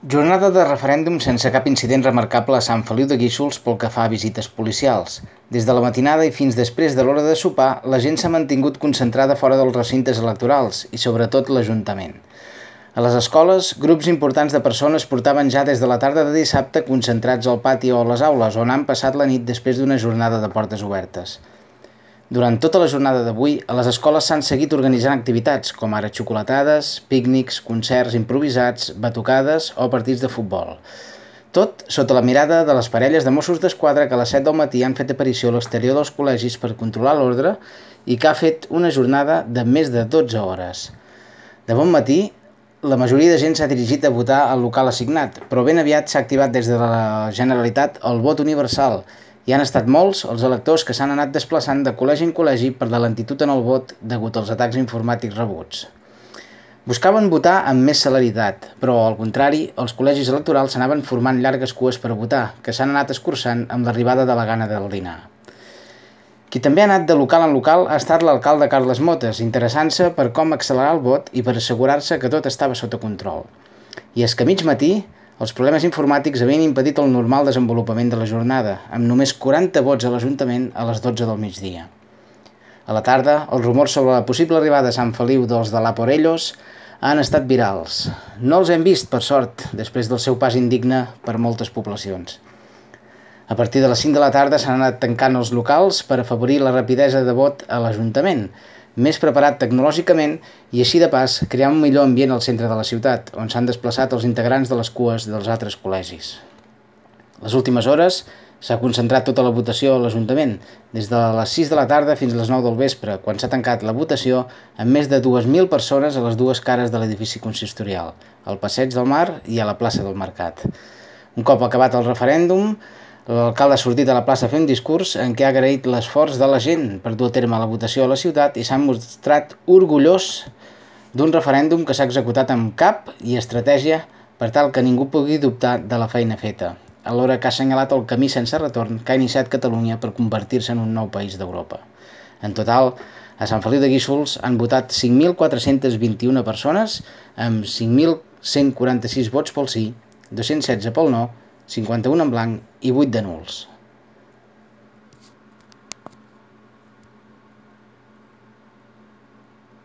Jornada de referèndum sense cap incident remarcable a Sant Feliu de Guíxols pel que fa a visites policials. Des de la matinada i fins després de l'hora de sopar, la gent s'ha mantingut concentrada fora dels recintes electorals i sobretot l'Ajuntament. A les escoles, grups importants de persones portaven ja des de la tarda de dissabte concentrats al pati o a les aules, on han passat la nit després d'una jornada de portes obertes. Durant tota la jornada d'avui, a les escoles s'han seguit organitzant activitats, com ara xocolatades, pícnics, concerts improvisats, batucades o partits de futbol. Tot sota la mirada de les parelles de Mossos d'Esquadra que a les 7 del matí han fet aparició a l'exterior dels col·legis per controlar l'ordre i que ha fet una jornada de més de 12 hores. De bon matí, la majoria de gent s'ha dirigit a votar al local assignat, però ben aviat s'ha activat des de la Generalitat el vot universal i han estat molts els electors que s'han anat desplaçant de col·legi en col·legi per la lentitud en el vot degut als atacs informàtics rebuts. Buscaven votar amb més celeritat, però, al contrari, els col·legis electorals s'anaven formant llargues cues per votar, que s'han anat escurçant amb l'arribada de la gana del dinar. Qui també ha anat de local en local ha estat l'alcalde Carles Motes, interessant-se per com accelerar el vot i per assegurar-se que tot estava sota control. I és que a mig matí, els problemes informàtics havien impedit el normal desenvolupament de la jornada, amb només 40 vots a l'Ajuntament a les 12 del migdia. A la tarda, els rumors sobre la possible arribada a Sant Feliu dels de l'Aporellos han estat virals. No els hem vist, per sort, després del seu pas indigne per moltes poblacions. A partir de les 5 de la tarda s'han anat tancant els locals per afavorir la rapidesa de vot a l'Ajuntament, més preparat tecnològicament i així de pas crear un millor ambient al centre de la ciutat, on s'han desplaçat els integrants de les cues dels altres col·legis. Les últimes hores s'ha concentrat tota la votació a l'Ajuntament, des de les 6 de la tarda fins a les 9 del vespre, quan s'ha tancat la votació amb més de 2.000 persones a les dues cares de l'edifici consistorial, al Passeig del Mar i a la plaça del Mercat. Un cop acabat el referèndum, l'alcalde ha sortit a la plaça a fer un discurs en què ha agraït l'esforç de la gent per dur a terme la votació a la ciutat i s'ha mostrat orgullós d'un referèndum que s'ha executat amb cap i estratègia per tal que ningú pugui dubtar de la feina feta, alhora que ha assenyalat el camí sense retorn que ha iniciat Catalunya per convertir-se en un nou país d'Europa. En total, a Sant Feliu de Guíxols han votat 5.421 persones amb 5.146 vots pel sí, 216 pel no, 51 en blanc i 8 de nuls.